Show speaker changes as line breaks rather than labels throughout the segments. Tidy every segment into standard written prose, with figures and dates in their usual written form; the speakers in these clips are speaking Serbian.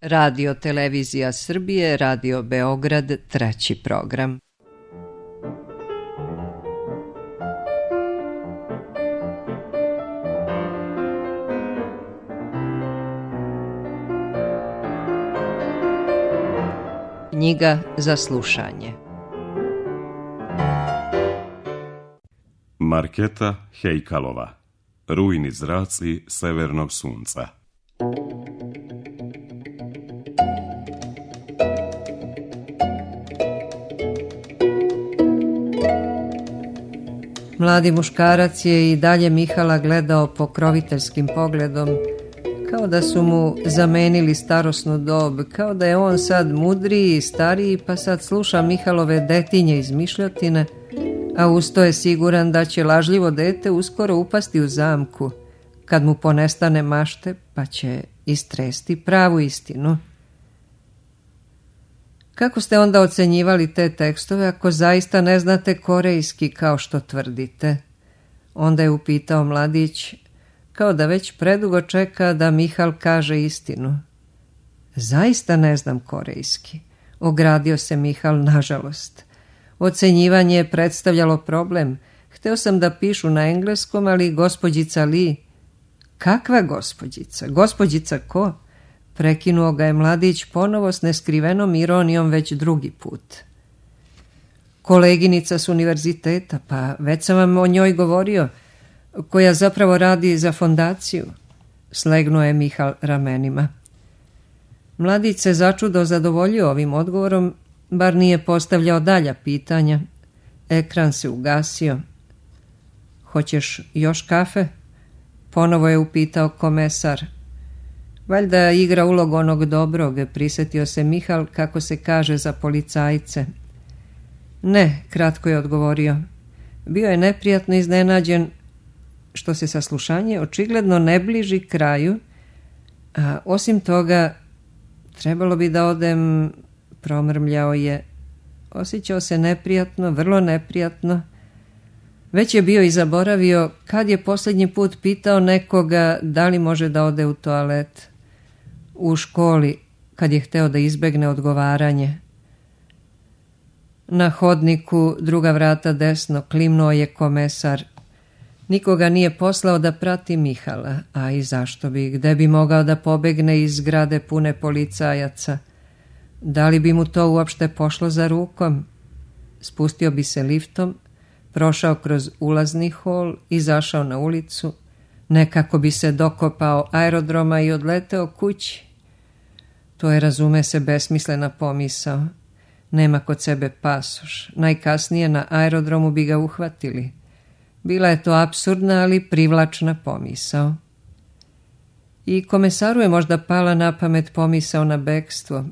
Radio Televizija Srbije, Radio Beograd, 3. program. Knjiga za slušanje.
Marketa Hejkalova. Rujni zraci severnog sunca.
Mladi muškarac je i dalje Mihala gledao pokroviteljskim pogledom, kao da su mu zamenili starosnu dob, kao da je on sad mudriji i stariji, pa sad sluša Mihalove detinje izmišljotine, a usto je siguran da će lažljivo dete uskoro upasti u zamku, kad mu ponestane mašte, pa će istresti pravu istinu. Kako ste onda ocenjivali te tekstove ako zaista ne znate korejski kao što tvrdite? Onda je upitao mladić, kao da već predugo čeka da Mihal kaže istinu. Zaista ne znam korejski, ogradio se Mihal nažalost. Ocenjivanje je predstavljalo problem. Hteo sam da pišu na engleskom, ali gospođica Li... Kakva gospođica? Gospođica ko? Prekinuo ga je mladić ponovo s neskrivenom ironijom već drugi put. Koleginica s univerziteta, pa već sam vam o njoj govorio, koja zapravo radi za fondaciju. Slegnuo je Mihal ramenima. Mladić se začudo zadovoljio ovim odgovorom, bar nije postavljao dalja pitanja. Ekran se ugasio. Hoćeš još kafe? Ponovo je upitao komesar. Valjda igra ulogu onog dobrog, prisjetio se Mihal kako se kaže za policajce. Ne, kratko je odgovorio. Bio je neprijatno iznenađen što se saslušanje očigledno ne bliži kraju, a osim toga trebalo bi da odem, promrmljao je. Osjećao se neprijatno, vrlo neprijatno. Već je bio i zaboravio kad je posljednji put pitao nekoga da li može da ode u toalet. U školi, kad je hteo da izbegne odgovaranje. Na hodniku, druga vrata desno, klimnuo je komesar. Nikoga nije poslao da prati Mihala, a i zašto bi, gde bi mogao da pobegne iz zgrade pune policajaca? Da li bi mu to uopšte pošlo za rukom? Spustio bi se liftom, prošao kroz ulazni hol, izašao na ulicu, nekako bi se dokopao aerodroma i odleteo kući. To je, razume se, besmislena pomisao. Nema kod sebe pasoš, najkasnije na aerodromu bi ga uhvatili. Bila je to apsurdna, ali privlačna pomisao. I komesaru je možda pala na pamet pomisao na bekstvo.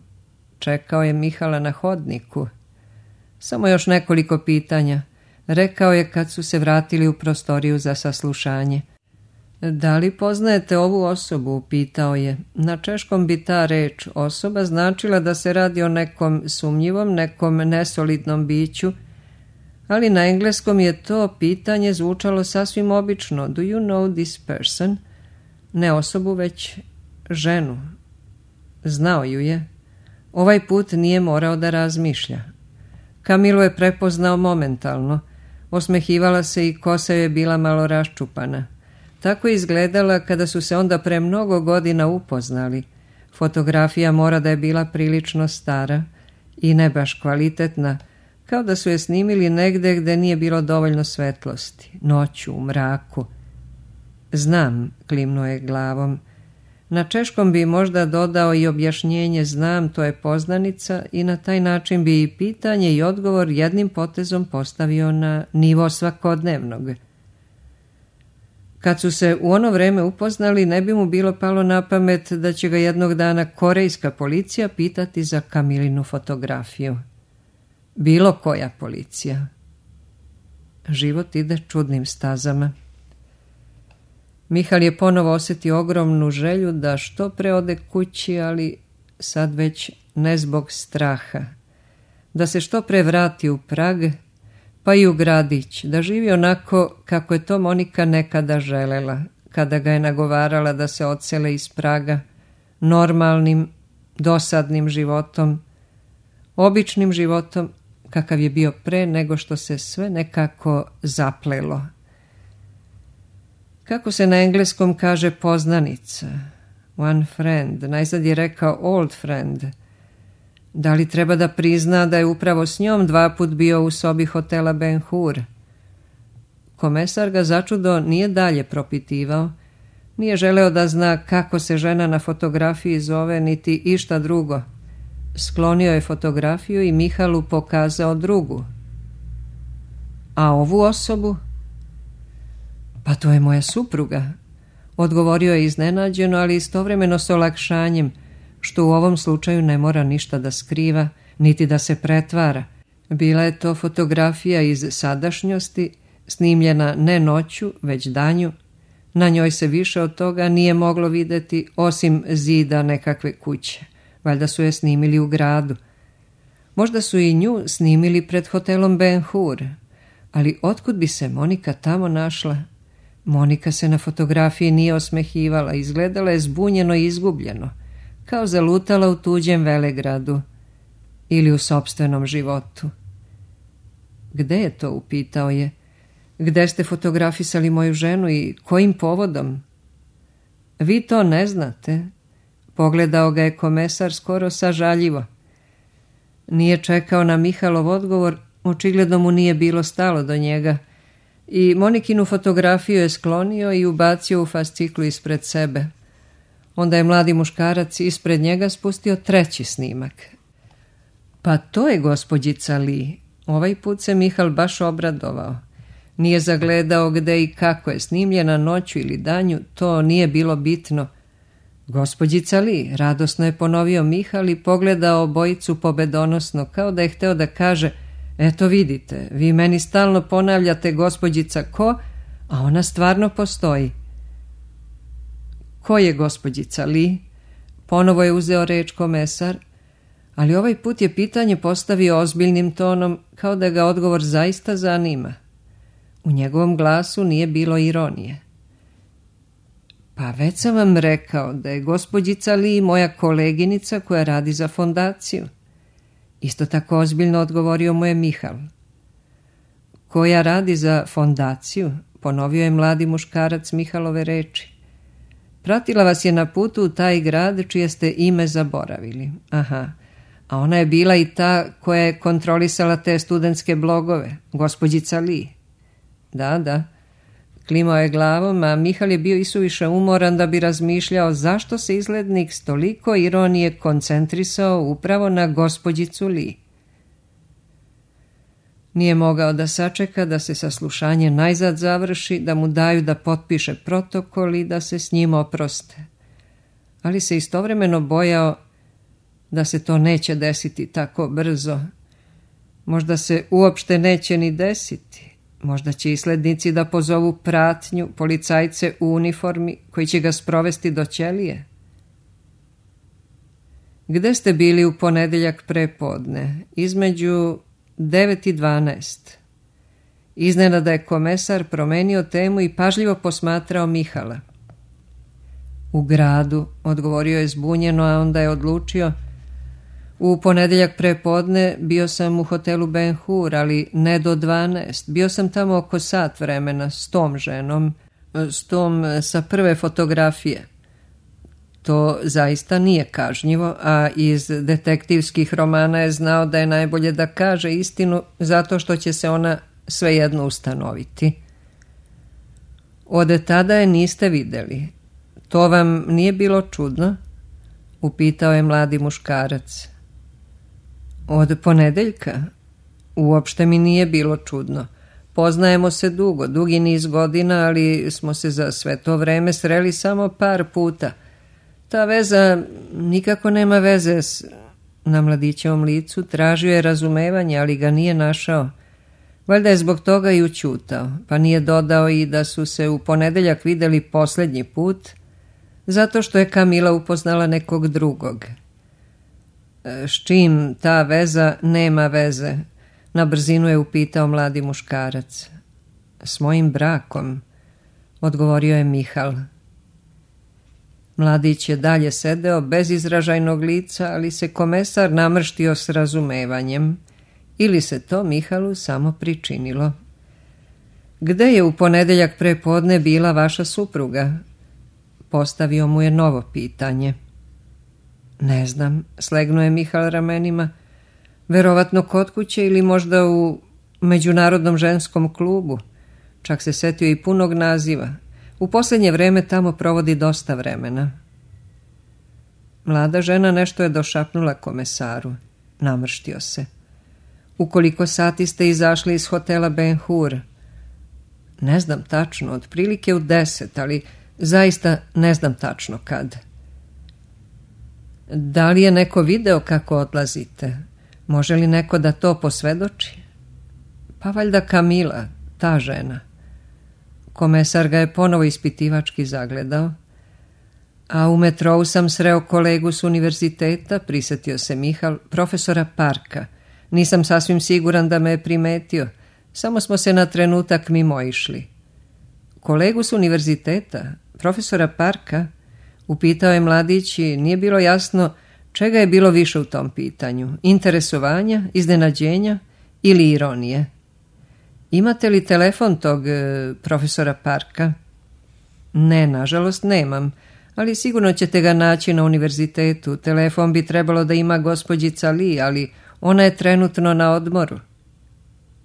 Čekao je Mihala na hodniku. Samo još nekoliko pitanja. Rekao je kad su se vratili u prostoriju za saslušanje. Da li poznajete ovu osobu? Pitao je. Na češkom bi ta reč osoba značila da se radi o nekom sumnjivom, nekom nesolidnom biću, ali na engleskom je to pitanje zvučalo sasvim obično. Do you know this person? Ne osobu, već ženu. Znao ju je. Ovaj put nije morao da razmišlja. Kamilu je prepoznao momentalno. Osmehivala se i kosa je bila malo raščupana. Tako je izgledala kada su se onda pre mnogo godina upoznali. Fotografija mora da je bila prilično stara i ne baš kvalitetna, kao da su je snimili negde gde nije bilo dovoljno svetlosti, noću, u mraku. Znam, klimnuo je glavom. Na češkom bi možda dodao i objašnjenje znam, to je poznanica, i na taj način bi i pitanje i odgovor jednim potezom postavio na nivo svakodnevnog. Kad su se u ono vreme upoznali, ne bi mu bilo palo na pamet da će ga jednog dana korejska policija pitati za Kamilinu fotografiju. Bilo koja policija. Život ide čudnim stazama. Mihal je ponovo osjetio ogromnu želju da što pre ode kući, ali sad već ne zbog straha. Da se što pre vrati u Prag, pa i u gradić, da živi onako kako je to Monika nekada želela, kada ga je nagovarala da se odsele iz Praga, normalnim, dosadnim životom, običnim životom kakav je bio pre nego što se sve nekako zaplelo. Kako se na engleskom kaže poznanica, one friend, najzad je rekao old friend. Da li treba da prizna da je upravo s njom 2 put bio u sobi hotela Ben Hur? Komesar ga začudo nije dalje propitivao, nije želeo da zna kako se žena na fotografiji zove, niti išta drugo. Sklonio je fotografiju i Mihalu pokazao drugu. A ovu osobu? Pa to je moja supruga, odgovorio je iznenađeno, ali istovremeno s olakšanjem, što u ovom slučaju ne mora ništa da skriva, niti da se pretvara. Bila je to fotografija iz sadašnjosti, snimljena ne noću, već danju. Na njoj se više od toga nije moglo vidjeti osim zida nekakve kuće. Valjda su je snimili u gradu. Možda su i nju snimili pred hotelom Ben Hur, ali otkud bi se Monika tamo našla? Monika se na fotografiji nije osmehivala, izgledala je zbunjeno i izgubljeno, kao zalutala u tuđem velegradu ili u sopstvenom životu. Gde je to, upitao je? Gde ste fotografisali moju ženu i kojim povodom? Vi to ne znate? Pogledao ga je komesar skoro sažaljivo. Nije čekao na Mihalov odgovor, očigledno mu nije bilo stalo do njega, i Monikinu fotografiju je sklonio i ubacio u fasciklu ispred sebe. Onda je mladi muškarac ispred njega spustio 3. snimak. Pa to je gospođica Lee. Ovaj put se Mihal baš obradovao. Nije zagledao gde i kako je snimljena, noću ili danju, to nije bilo bitno. Gospođica Lee, radosno je ponovio Mihal i pogledao obojicu pobedonosno, kao da je hteo da kaže: eto vidite, vi meni stalno ponavljate gospođica ko, a ona stvarno postoji. Ko je gospođica Lee? Ponovo je uzeo reč komesar, ali ovaj put je pitanje postavio ozbiljnim tonom, kao da ga odgovor zaista zanima. U njegovom glasu nije bilo ironije. Pa već sam vam rekao da je gospođica Lee moja koleginica koja radi za fondaciju. Isto tako ozbiljno odgovorio mu je Mihal. Koja radi za fondaciju? Ponovio je mladi muškarac Mihalove reči. Pratila vas je na putu u taj grad čije ste ime zaboravili. Aha, a ona je bila i ta koja je kontrolisala te studentske blogove, gospođica Lee. Da, klimao je glavom, a Mihal je bio isuviše umoran da bi razmišljao zašto se izglednik s toliko ironije koncentrisao upravo na gospođicu Lee. Nije mogao da sačeka da se saslušanje najzad završi, da mu daju da potpiše protokol i da se s njim oproste. Ali se istovremeno bojao da se to neće desiti tako brzo. Možda se uopšte neće ni desiti. Možda će islednici da pozovu pratnju, policajce u uniformi koji će ga sprovesti do ćelije. Gde ste bili u ponedeljak prepodne? Između 9 i 12. Iznenada je komesar promenio temu i pažljivo posmatrao Mihala. U gradu, odgovorio je zbunjeno, a onda je odlučio: u ponedeljak prepodne bio sam u hotelu Ben Hur, ali ne do 12. Bio sam tamo oko sat vremena s tom ženom, s tom sa prve fotografije. To zaista nije kažnjivo, a iz detektivskih romana je znao da je najbolje da kaže istinu zato što će se ona svejedno ustanoviti. Od tada je niste videli. To vam nije bilo čudno? Upitao je mladi muškarac. Od ponedeljka? Uopšte mi nije bilo čudno. Poznajemo se dugi niz godina, ali smo se za sve to vreme sreli samo par puta. Ta veza nikako nema veze s... Na mladićevom licu tražio je razumevanje, ali ga nije našao. Valjda je zbog toga i ućutao, pa nije dodao i da su se u ponedeljak videli posljednji put, zato što je Kamila upoznala nekog drugog. S čim ta veza nema veze? Na brzinu je upitao mladi muškarac. S mojim brakom, odgovorio je Mihal. Mladić je dalje sedeo bez izražajnog lica, ali se komesar namrštio s razumevanjem. Ili se to Mihalu samo pričinilo. Gde je u ponedeljak prepodne bila vaša supruga? Postavio mu je novo pitanje. Ne znam, slegnuo je Mihal ramenima. Verovatno kod kuće ili možda u Međunarodnom ženskom klubu. Čak se setio i punog naziva. U posljednje vreme tamo provodi dosta vremena. Mlada žena nešto je došapnula komesaru. Namrštio se. U koliko sati ste izašli iz hotela Ben Hur? Ne znam tačno, otprilike u 10, ali zaista ne znam tačno kad. Da li je neko video kako odlazite? Može li neko da to posvedoči? Pa valjda Kamila, ta žena. Komesar ga je ponovo ispitivački zagledao. A u metrou sam sreo kolegu s univerziteta, prisjetio se Mihal, profesora Parka. Nisam sasvim siguran da me je primetio, samo smo se na trenutak mimoišli. Kolegu s univerziteta, profesora Parka, upitao je mladić i nije bilo jasno čega je bilo više u tom pitanju, interesovanja, iznenađenja ili ironije. Imate li telefon tog profesora Parka? Ne, nažalost nemam, ali sigurno ćete ga naći na univerzitetu. Telefon bi trebalo da ima gospođica Li, ali ona je trenutno na odmoru.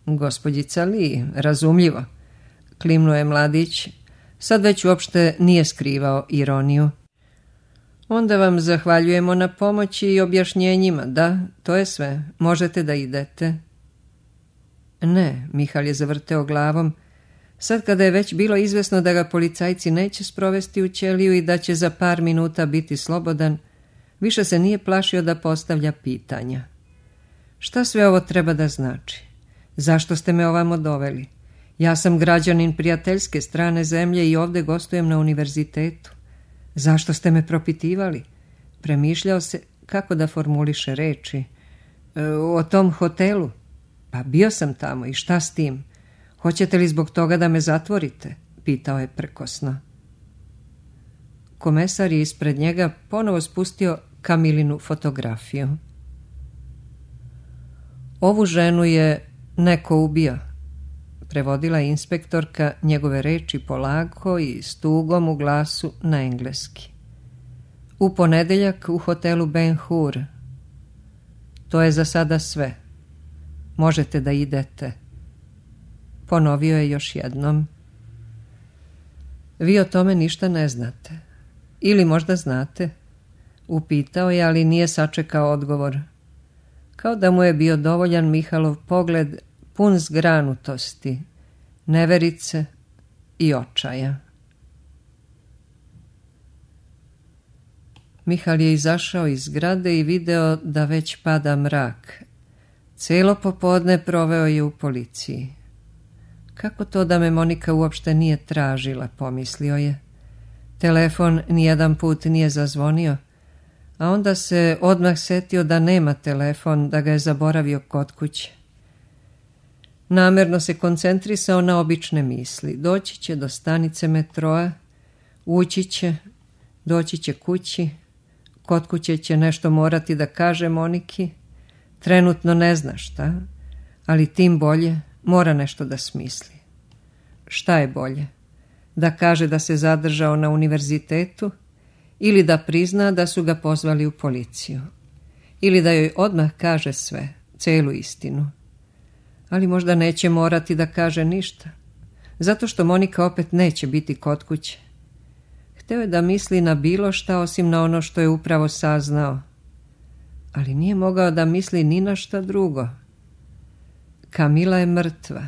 Gospođica Li, razumljivo, klimnuo je mladić. Sad već uopšte nije skrivao ironiju. Onda vam zahvaljujemo na pomoći i objašnjenjima. Da, to je sve. Možete da idete. Ne, Mihal je zavrteo glavom. Sad kada je već bilo izvesno da ga policajci neće sprovesti u ćeliju i da će za par minuta biti slobodan, više se nije plašio da postavlja pitanja. Šta sve ovo treba da znači? Zašto ste me ovamo doveli? Ja sam građanin prijateljske strane zemlje i ovdje gostujem na univerzitetu. Zašto ste me propitivali? Premišljao se kako da formuliše reči. O tom hotelu? Pa bio sam tamo i šta s tim? Hoćete li zbog toga da me zatvorite? Pitao je prkosno. Komesar je ispred njega ponovo spustio Kamilinu fotografiju. Ovu ženu je neko ubio, prevodila je inspektorka njegove reči polako i s tugom u glasu na engleski. U ponedeljak u hotelu Ben Hur. To je za sada sve. Možete da idete. Ponovio je još jednom. Vi o tome ništa ne znate. Ili možda znate? Upitao je, ali nije sačekao odgovor. Kao da mu je bio dovoljan Mihalov pogled pun zgranutosti, neverice i očaja. Mihal je izašao iz zgrade i video da već pada mrak. Cijelo popodne proveo je u policiji. Kako to da me Monika uopšte nije tražila, pomislio je. Telefon nijedan put nije zazvonio, a onda se odmah setio da nema telefon, da ga je zaboravio kod kuće. Namerno se koncentrisao na obične misli. Doći će do stanice metroa, ući će, doći će kući, kod kuće će nešto morati da kaže Moniki. Trenutno ne zna šta, ali tim bolje mora nešto da smisli. Šta je bolje? Da kaže da se zadržao na univerzitetu ili da prizna da su ga pozvali u policiju? Ili da joj odmah kaže sve, celu istinu? Ali možda neće morati da kaže ništa, zato što Monika opet neće biti kod kuće. Hteo je da misli na bilo šta osim na ono što je upravo saznao, ali nije mogao da misli ni na šta drugo. Kamila je mrtva.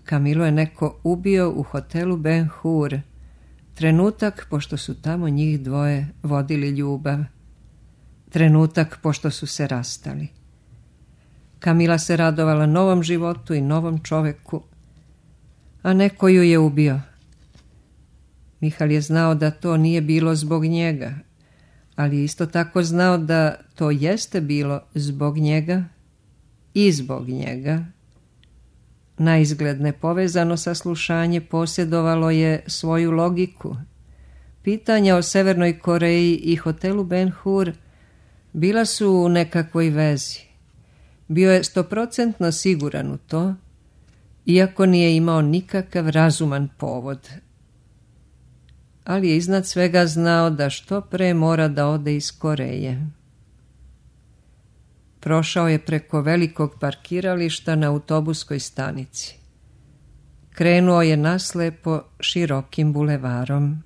Kamilu je neko ubio u hotelu Ben Hur, trenutak pošto su tamo njih dvoje vodili ljubav, trenutak pošto su se rastali. Kamila se radovala novom životu i novom čoveku, a neko ju je ubio. Mihal je znao da to nije bilo zbog njega, ali isto tako znao da to jeste bilo zbog njega i zbog njega. Naizgled nepovezano saslušanje posjedovalo je svoju logiku. Pitanja o Severnoj Koreji i hotelu Ben Hur bila su u nekakvoj vezi. Bio je 100% siguran u to, iako nije imao nikakav razuman povod. Ali je iznad svega znao da što pre mora da ode iz Koreje. Prošao je preko velikog parkirališta na autobuskoj stanici. Krenuo je naslepo širokim bulevarom.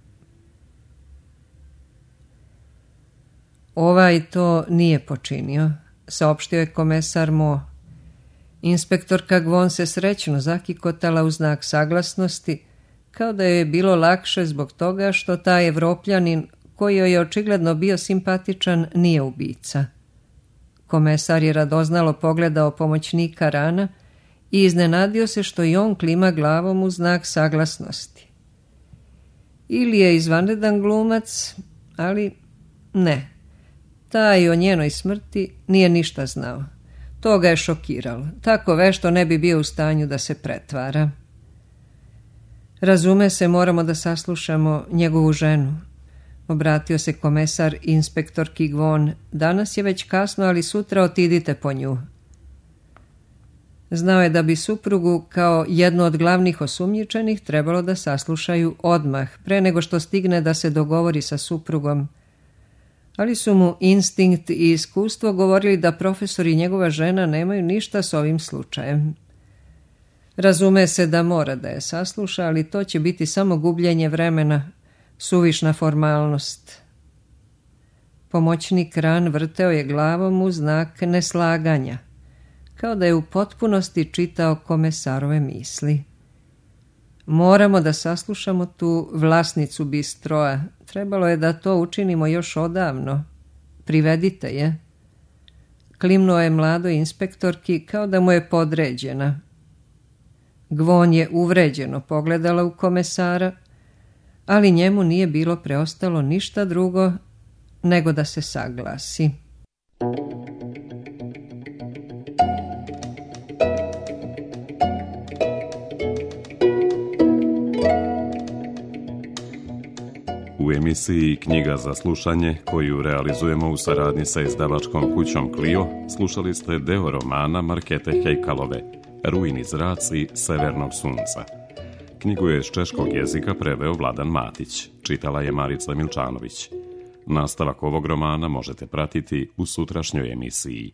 Ovaj to nije počinio, saopštio je komesar Mo. Inspektorka Gvon se srećno zakikotala u znak saglasnosti, kao da joj je bilo lakše zbog toga što taj Evropljanin, koji joj je očigledno bio simpatičan, nije ubica. Komesar je radoznalo pogledao pomoćnika Rana i iznenadio se što i on klima glavom u znak saglasnosti. Ili je izvanredan glumac, ali ne. Taj o njenoj smrti nije ništa znao. To ga je šokiralo. Tako vešto ne bi bio u stanju da se pretvara. Razume se, moramo da saslušamo njegovu ženu. Obratio se komesar inspektorki Gvon. Danas je već kasno, ali sutra otidite po nju. Znao je da bi suprugu kao jednu od glavnih osumnjičenih trebalo da saslušaju odmah, pre nego što stigne da se dogovori sa suprugom. Ali su mu instinkt i iskustvo govorili da profesor i njegova žena nemaju ništa s ovim slučajem. Razume se da mora da je sasluša, ali to će biti samo gubljenje vremena, suvišna formalnost. Pomoćnik Ran vrteo je glavom u znak neslaganja, kao da je u potpunosti čitao komesarove misli. Moramo da saslušamo tu vlasnicu bistroa. Trebalo je da to učinimo još odavno. Privedite je. Klimnuo je mladoj inspektorki kao da mu je podređena. Gvon je uvređeno pogledala u komesara, ali njemu nije bilo preostalo ništa drugo nego da se saglasi.
U emisiji Knjiga za slušanje, koju realizujemo u saradnji sa izdavačkom kućom Clio, slušali ste deo romana Markete Hejkalove, Rujni zraci Severnog sunca. Knjigu je s češkog jezika preveo Vladan Matić, čitala je Marica Milčanović. Nastavak ovog romana možete pratiti u sutrašnjoj emisiji.